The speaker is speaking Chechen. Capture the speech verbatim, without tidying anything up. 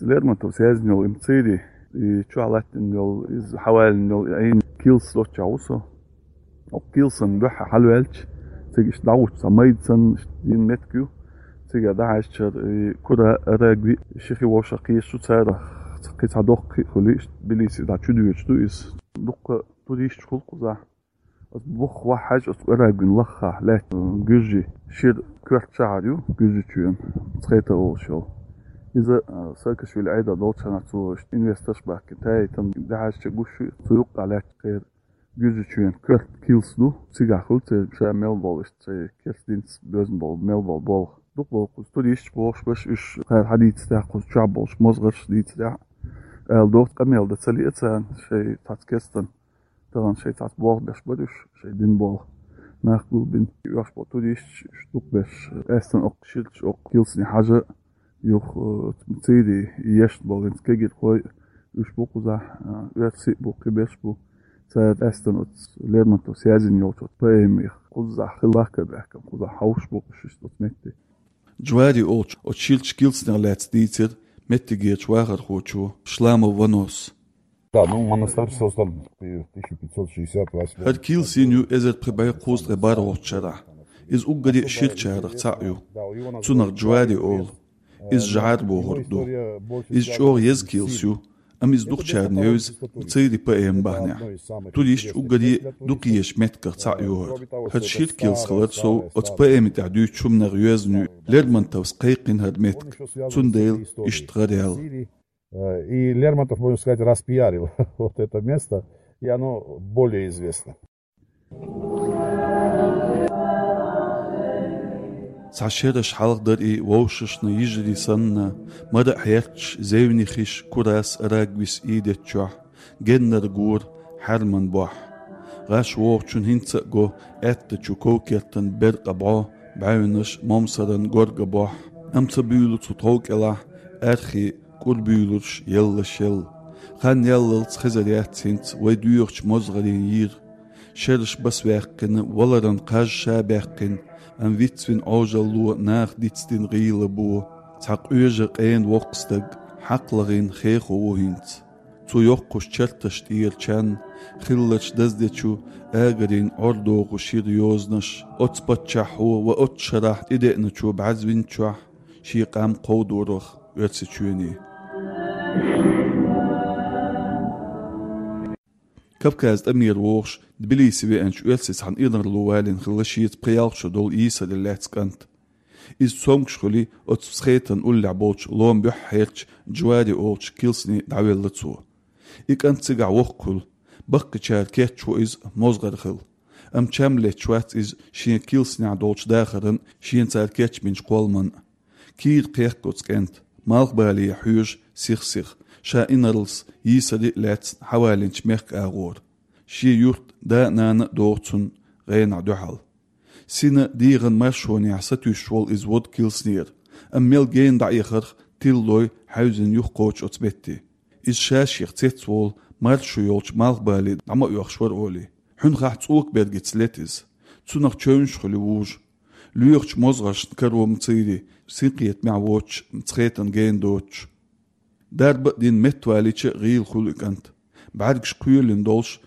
Лермонтовс яздина йола и МЦИРИ, и чохь латтина йола, иза хьаваьллина йола Ӏийна килс доцчохь ву со. Оцу килсан дуьхьа хьалаваьлча, цига иштта дӀагӀуттуш цхьа майда санна иштта йина меттиг ю. Цига дӀахьаьжча, и Кура, Арагви, ши хи вовшах кхеташ ду царах, кхин цхьа доккха хи а хуьлий, иштта Тбилиси дӀа чудоьдуш ду иза. Дуккха туристаш хуьлу кхузахь. Оцу бух вахь хьаьжча, оцу Арагвин лахахь лаьттина гуьржийн шира коьрта шахьар ю, Гуьржийчоьнан, Мцхета олуш йолу. Иза, а, Саакашвили Ӏедал долчу хенахь цо иштта инвесторш баьхкина, таийтина, дӀахьаьжча гуш ю, цу юккъехь лаьтташ кхеран Гуьржийчоьнан коьрта килс ду, цигахь хуьлу церан ша мел болу иштта шайн керста динца боьзна болу, мел болу болх. Дукха болу кхуза туристаш бохуш берш, уьш кхара хьадийцарехь, кхуза чохь болчу мозгӀарша дийцарехь, ала догӀу, къамел дан ца лиъна царна, шайн цхьацца керстан тахана шайн цхьацца болх беш бара уьш, шайн дина болх. Нах гулбина, оьхуш болу туристаш, уьш дукха берш, къаьстина оккха ширачу оккха килсане хьажа, юха, э, МЦИРИ ешна болу хӀинца кегирхой, уьш бу кхузахь, а, оьрсий а бу, кхиберш а бу. Цара къаьстина оцу Лермонтовс яздина йолчу оцу поэмех кхузахь хила лакхара баьхкина, кхузахь хьовсуш бу уьш оцу метте. Джвари олучу оцу ширачу килсанех лаьцна дийцира меттигерчу вахархочо Шламов Ванос. Да, ну, монастырь создан в тысяча пятьсот шестьдесят восьмом. ХӀара килс йина ю эзар пхи бӀе кхузткъе бархӀалгӀачу шарахь. Иза уггаре а ширачарах цхьаъ ю. Цунах Джвари олу. Иза жӀар бохург ду. Иза чӀогӀа еза килс ю, амма иза дукхачарна евза МЦИРИ поэма бахьанехь. Туристаш уггаре а дукха езачу меттигах цхьаъ ю хӀара. ХӀара шира килс хилар сов оцу поэми тӀехь дуьйцучу хӀуманех йоьзна ю. Лермонтовс кхайкхина хӀара меттиг, цундела иштта гӀараьлла. Э, и Лермонтов, можно сказать, распиарил вот это место, и оно более известно. Цхьа шераш хьалха дара и вовшашна йижарий санна, мара а хьерчаш, зевне хиш Курас, Арагвис ийдеччохь, геннара гора хьаьрман бохь. ГӀаш вогӀучун хӀинца а го аьттачу ков-кертан беркъа бӀо, бӀаьвнаш, момсаран горга бохь. Амма ца буьйлу цу тхов кӀелахь, аьрхий кӀур буьйлурш еллаш елла. Хан яллалц хезар яц хӀинца вай доьхучу мозгӀарийн йир. Шераш басваьккхина, валаран кхаж ша баьккхина, амма вицвина Ӏожалло наха дицдина гӀийла бо. Цхьа къоьжа къена воккха стаг хьакхалахийна хехо ву хӀинца. Цу йоккхачу чарташ тӀера чан, хиллачу даздечу агарийн Ӏордоху шира йозанаш, оцу паччахьо ва оцу шарахь тӀедеъначо бӀаьзвинчохь шен къам кховдорах Оьрсийчоьне. Кавказ тӀамера вогӀуш, Тбилиси веанчу оьрсица цхьана инарло валийна хилла шеца пхи-ялх шо долу йийсаре лаьцна кӀант. Иза цомгуш хуьлий оцу Мцхетан уллехь болчу лома буьххьехь хьерча Джвари олучу килсане дӀавелла цо. И кӀант цигахь воккха хуьлу, баккхийчара кечво иза мозгӀар хила. Амма чам летташ вац иза шен килсанехь долчу дахаран, шена цара кечбинчу кхолламан а. Кийра кхехка оцу кӀентан, малхбале хьоьжу сих-сиха, ша инарлас йийсаре а лаьцна хьавалийначу мехкан агӀор. Шен юрт, да а, нана а догӀу цунна гӀенахь дуьхьал. Сина дегӀан маршонехь сатуьйсуш волу иза вода килснера, амма мел гена дӀаэхарх тилалой хьаьвзина юхакхочу оцу метте. Иза ша-шех цецволу маршо йолчу малхбале дӀа ма оьхуш вара олий. Хьуьнхахь цӀока бергаца лета иза. Цунах чевнаш хуьлу вужу. Лоьхучу мозгӀаршна каро МЦИРИ, синкхетамехь воцуш Мцхетан гена доцуш. Дарба а дина меттавалийча а гӀийла хуьлу и кӀант. БӀаьргаш кхоьлина долуш,